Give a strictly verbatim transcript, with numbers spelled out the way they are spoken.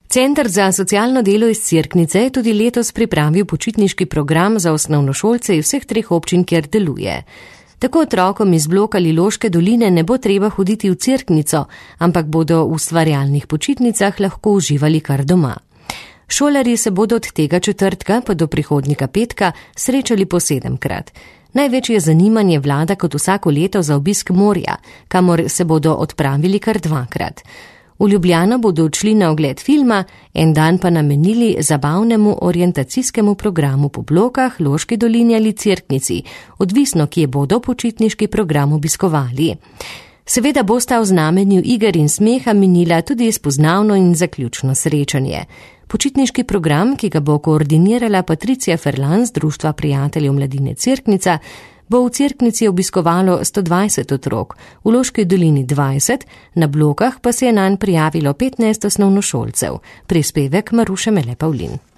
Center za socialno delo iz Cerknice je tudi letos pripravil počitniški program za osnovnošolce iz vseh treh občin, kjer deluje. Tako otrokom iz bloka Liloške doline ne bo treba hoditi v Cerknico, ampak bodo v ustvarjalnih počitnicah lahko uživali kar doma. Šolarji se bodo od tega četrtka pa do prihodnjega petka srečali po sedemkrat. Največje zanimanje vlada kot vsako leto za obisk morja, kamor se bodo odpravili kar dvakrat. V Ljubljano bodo odšli na ogled filma, en dan pa namenili zabavnemu orientacijskemu programu po blokah, Loški dolini ali Cerknici, odvisno, kje bodo počitniški program obiskovali. Seveda bosta v znamenju iger in smeha minila tudi spoznavno in zaključno srečanje. Počitniški program, ki ga bo koordinirala Patricija Ferlan z Društva prijateljev mladine Cerknica, bo v Cerknici obiskovalo sto dvajset otrok, v Loški dolini dvajset, na blokah pa se je nanj prijavilo petnajst osnovnošolcev. Prispevek Maruše Mele Pavlin.